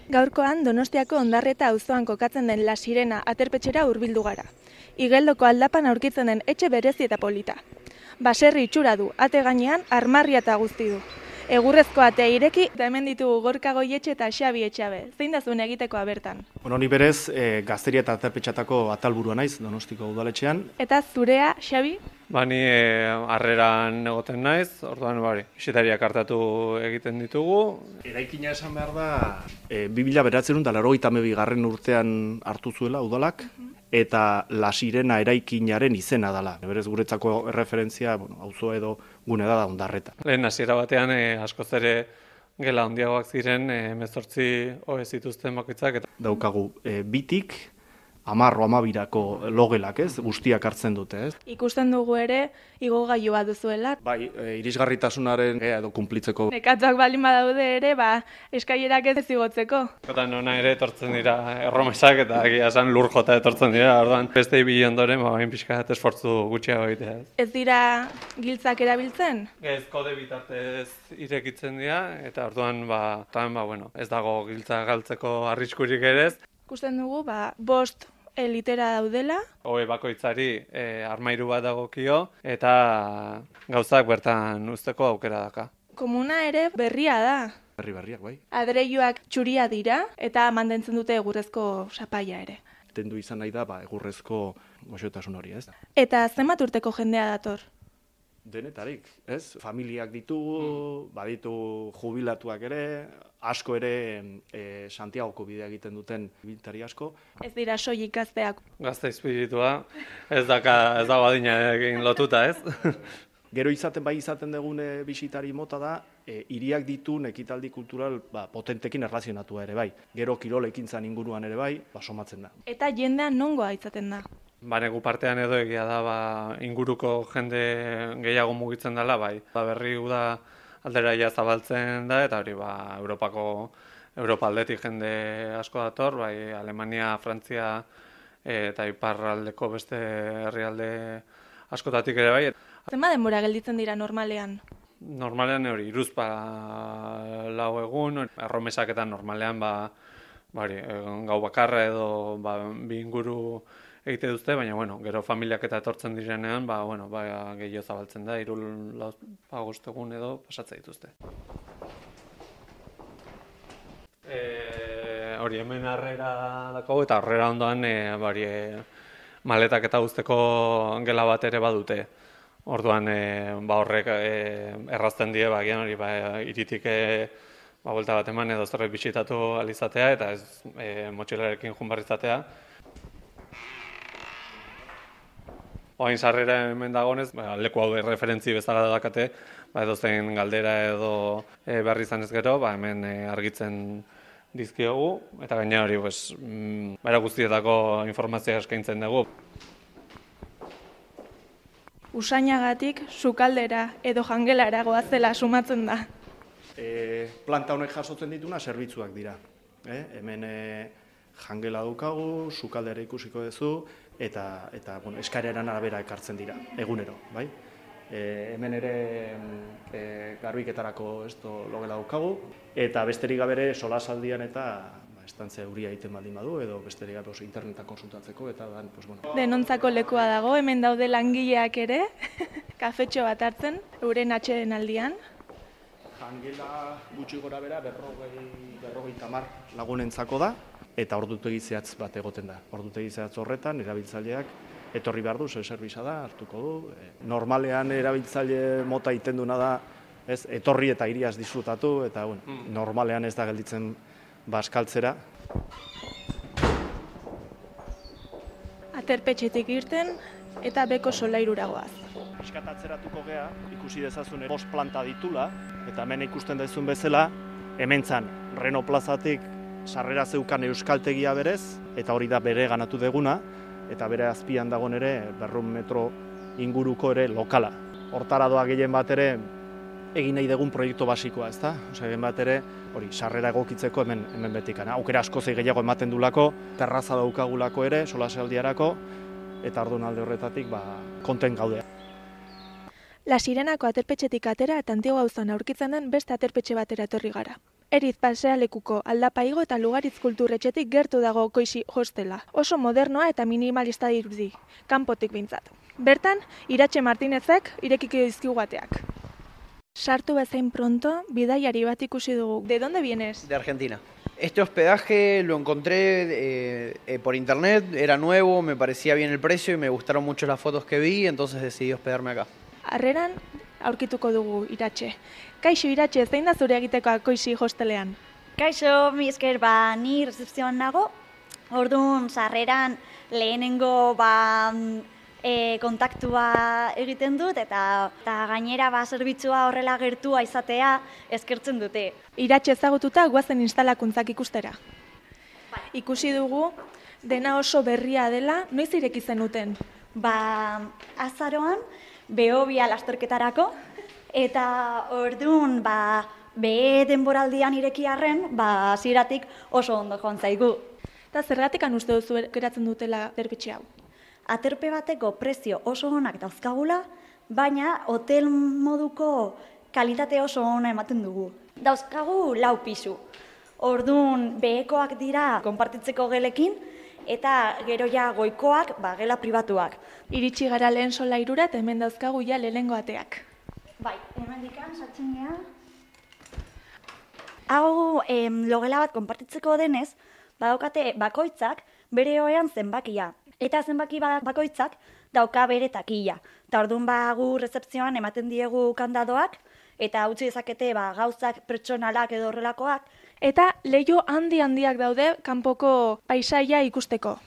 Gaurkoan Donostiako Ondarreta auzoan kokatzen den La Sirena aterpetxera hurbildu gara. Igeldoko aldapan aurkitzen den etxe berezi eta polita. Baserri itxura du, ate gainean armarria eta guzti du. Egurrezko atea ireki eta hemen ditugu Gorka Goietxe eta Xabi Etxabe. Zein da zuen egitekoa bertan? Ni berez gazteria eta aterpetxatako atalburua naiz Donostiko udaletxean. Eta zurea, Xabi? Ni harreran egoten naiz, orduan bisitariak hartatu egiten ditugu. Eraikina esan behar da 1982 urtean hartu zuela udalak, eta La Sirena eraikinaren izena dela. Berez guretzako erreferentzia, auzo edo gune da Ondarreta. Lehen hasiera batean askoz ere gela handiagoak ziren, 18 ohe zituzten bakoitzak. Daukagu bitik 10-12 logelak, guztiak hartzen dute, Ikusten dugu ere igogailua duzuela. Bai, irisgarritasunaren edo kunplitzeko. Nekatuak baldin badaude ere, eskailerak ez igotzeko. Eta nona ere etortzen dira erromesak eta egia esan lur jota etortzen dira, orduan beste ibili ondoren, bain pixka bat esfortzu gutxiago egitea. Ez dira giltzak erabiltzen? Ez kode bitartez irekitzen dira, eta orduan ez dago giltza galtzeko arriskurik ere ez. Ikusten dugu, 5 litera daudela. Ohe bakoitzari armairu bat dagokio eta gauzak bertan uzteko aukera daka. Komuna ere berria da. Berriak, bai. Adreiluak txuria dira eta mantentzen dute egurrezko sapaia ere. Tendu izan nahi da egurrezko goxotasun hori, ez? Eta zenbat urteko jendea dator? Denetarik, ez? Familiak ditugu, baditu jubilatuak ere, asko ere Santiagoko bidea egiten duten ibiltari asko. Ez dira soilik gazteak. Gazte espiritua, ez dago adinarekin lotuta, ez? Gero izaten dugune bisitari mota da, hiriak ditun ekitaldi kultural potentekin erlazionatua ere bai. Gero kirol ekintzan inguruan ere bai, somatzen da. Eta jendean nongoa izaten da? Negu partean edo egia da, inguruko jende gehiago mugitzen dela, bai. Berri uda alderaia zabaltzen da, eta hori Europa aldetik jende asko dator, bai Alemania, Frantzia eta iparraldeko beste herrialde askotatik ere bai. Zenbat denbora gelditzen dira normalean? Normalean hori, 3-4 egun, erromesaketan normalean gau bakarra edo bi inguru egite duzte, baina gero familiak eta etortzen direnean, gehiago zabaltzen da, 3-5 egun edo pasatzen dituzte. Hori hemen harrera dako eta harrera ondoan maletak eta guzteko gela bat ere badute. Orduan horrek errazten die, iritik buelta bat eman edo zerbait bisitatu alizatea eta ez motxilarekin junbarrizatea. Oain sarrera hemen dagonez, leku hau referentzi bezala dakate, edozein galdera edo berri izan ez gero, hemen argitzen dizkiogu, eta gaina hori guztietako informazioa eskaintzen dugu. Usainagatik sukaldera edo jangelara goazela sumatzen da. Planta honek jasotzen dituna zerbitzuak dira. Hemen jangela daukagu, sukaldera ikusiko duzu, eta eskaeran arabera ekartzen dira, egunero, bai? Hemen ere garbiketarako logela daukagu, eta besterik gabere solasaldian eta estantzia euria egiten baldin badu, edo besterik gabe internetan konsultatzeko, eta Denontzako lekua dago, hemen daude langileak ere, kafetxo bat hartzen, euren atxeden aldian. Jangela gutxi gora bera 50 lagunentzako da, eta ordutegi zehatz bat egoten da. Ordutegi zehatz horretan, erabiltzaileak etorri behar du, zerbitza da, hartuko du. Normalean erabiltzaile mota itenduna da, etorri eta hiriaz disfrutatu, eta normalean ez da gelditzen baskaltzera. Aterpetxetik irten eta beko solairura goaz. Piskatatzeratuko gea, ikusi dezazun 5 planta ditula, eta hemen ikusten dezun bezala, hemen zan, Reno plazatik sarrera zeukan euskaltegia berez, eta hori da bere ganatu deguna, eta bere azpian dagoen ere 200 metro inguruko ere lokala. Hortara doa gehien bat ere egin nahi dugun proiektu basikoa, ezta? Egin bat ere, hori, sarrera egokitzeko hemen betikana. Aukera asko gehiago ematen dulako, terraza daukagulako ere, solasaldiarako, eta orduan alde horretatik konten gaudea. La Sirenako aterpetxetik atera eta Antigua auzoan aurkitzen den beste aterpetxe batera etorri gara. Eriz pasealekuko Aldapa igo eta Lugaritz kulturretxetik gertu dago Koixi hostela. Oso modernoa eta minimalista dirudi, kanpotik behintzat. Bertan, Iratxe Martinezek irekiko dizkigu ateak. Sartu bezain pronto, bidaiari bat ikusi dugu. ¿De dónde vienes? De Argentina. Este hospedaje lo encontré por internet, era nuevo, me parecía bien el precio y me gustaron mucho las fotos que vi, entonces decidí hospedarme acá. Harreran aurkituko dugu Iratxe. Kaixo Iratxe, zein da zure egitekoa Koixi hostelean? Kaixo, mi esker, ni rezepzioan nago, orduan sarreran lehenengo kontaktua egiten dut eta gainera zerbitzua horrela gertua izatea eskertzen dute. Iratxe ezagututa guazen instalakuntzak ikustera. Ikusi dugu dena oso berria dela, noiz ireki zenuten? Azaroan behobia lasterketarako eta orduan behe denboraldian ireki arren, hasieratik oso ondo joan zaigu. Eta zergatik uste duzu geratzen dutela zerbitzu hau? Aterpe bateko prezio oso onak dauzkagula, baina hotel moduko kalitate oso ona ematen dugu. Dauzkagu 4 pisu. Orduan behekoak dira konpartitzeko gelekin eta gero ja goikoak gela pribatuak. Iritsi gara lehen solairura eta hemen dauzkagu ja lehenengo ateak. Bai, hemendikan sartzen gea. Hau logela bat konpartitzeko denez, badaukate bakoitzak bere ohean zenbakia. Eta zenbaki bakoitzak dauka bere takila. Eta orduan gu rezepzioan ematen diegu kandadoak, eta utzi dezakete gauzak pertsonalak edo horrelakoak. Eta leiho handiak daude kanpoko paisaia ikusteko.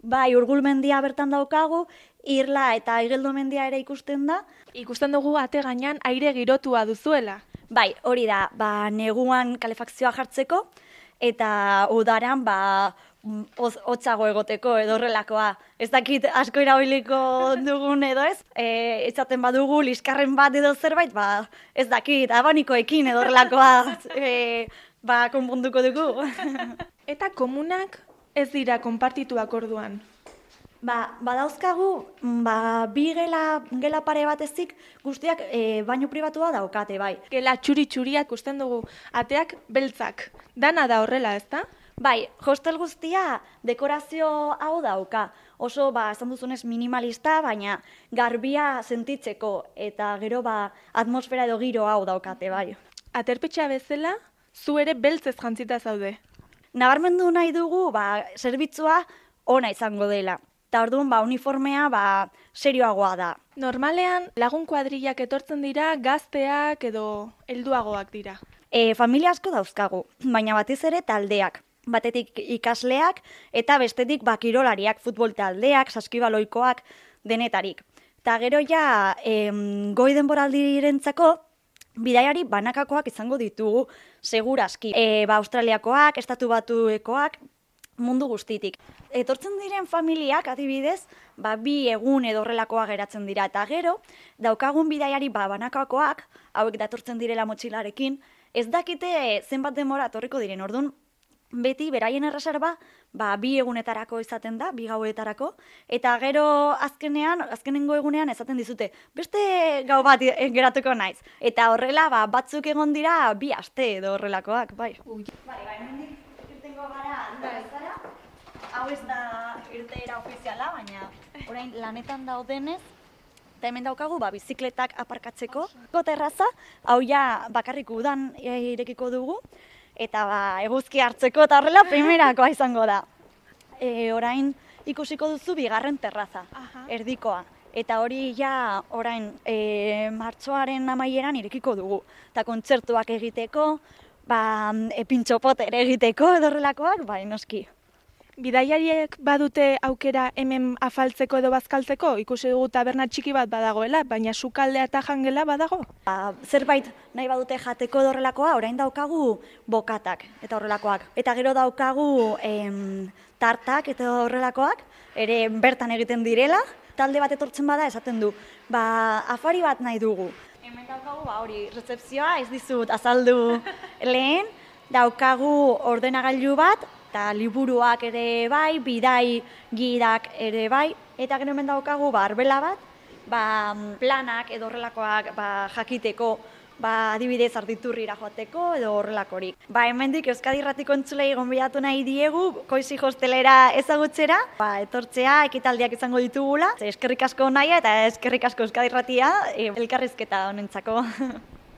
Bai, Urgul mendia bertan daukagu, Irla eta Igeldo mendia ere ikusten da. Ikusten dugu ate gainean aire girotua duzuela. Bai, hori da, neguan kalefakzioa jartzeko, eta udaran hotzago egoteko edo horrelakoa. Ez dakit asko irabiliko dugun edo ez. Ezaten badugu liskarren bat edo zerbait, ez dakit abanikoekin edo horrelakoa konponduko dugu. Eta komunak ez dira konpartituak orduan? Badauzkagu, 2 gela pare batezik guztiak baino pribatua daukate, bai. Gela txuri-txuriak ikusten dugu, ateak beltzak. Dana da horrela, ezta? Bai, hostel guztia dekorazio hau dauka. Oso, esan duzunez minimalista, baina garbia sentitzeko eta gero atmosfera edo giro hau daukate, bai. Aterpetxa bezala, zu ere beltzez jantzita zaude. Nabarmendu nahi dugu, zerbitzua ona izango dela. Eta orduan, uniformea serioagoa da. Normalean, lagun kuadrillak etortzen dira, gazteak edo helduagoak dira. Familia asko dauzkagu, baina batez ere taldeak. Batetik ikasleak eta bestetik kirolariak, futbol taldeak, saskibaloikoak, denetarik. Eta gero ja, goi denboraldirentzako, bidaiari banakakoak izango ditugu, segurazki. Australiakoak, Estatu Batuekoak, mundu guztitik. Etortzen diren familiak, adibidez, 2 egun edo horrelakoa geratzen dira. Eta gero, daukagun bidaiari banakakoak, hauek datortzen direla motxilarekin, ez dakite zenbat denbora etorriko diren. Orduan, beti beraien erreserba 2 egunetarako izaten da, 2 gauetarako, eta gero azkenengo egunean esaten dizute, beste gau bat geratuko naiz. Eta horrela, batzuk egon dira 2 aste edo horrelakoak, bai. Hemendik irtengo gara, bezala. Hau ez da irteera ofiziala, baina orain lanetan daudenez, eta hemen daukagu bizikletak aparkatzeko. Terraza, hau ja bakarrik udan irekiko dugu, eta eguzki hartzeko eta horrela primerakoa izango da. Orain ikusiko duzu 2. terraza, erdikoa. Eta hori ja orain martxoaren amaieran irekiko dugu. Eta kontzertuak egiteko, pintxopoter egiteko edo horrelakoak, noski. Bidaiariek badute aukera hemen afaltzeko edo bazkaltzeko? Ikusi dugu taberna txiki bat badagoela, baina sukaldea eta jangela badago? Zerbait nahi badute jateko edo horrelakoa, orain daukagu bokatak eta horrelakoak. Eta gero daukagu tartak eta horrelakoak, ere bertan egiten direla. Talde bat etortzen bada esaten du, afari bat nahi dugu. Hemen daukagu, hori, rezepzioa ez dizut azaldu lehen, daukagu ordenagailu bat, eta liburuak ere bai, bidai gidak ere bai, eta gero hemen daukagu arbela bat, planak edo horrelakoak jakiteko adibidez Arditurrira joateko edo horrelakorik. Hemendik Euskadi Irratiko entzulei gonbidatu nahi diegu Koizi hostelera ezagutzera, etortzea ekitaldiak izango ditugula. Eskerrik asko Naia eta eskerrik asko Euskadi Irratia elkarrizketa honentzako.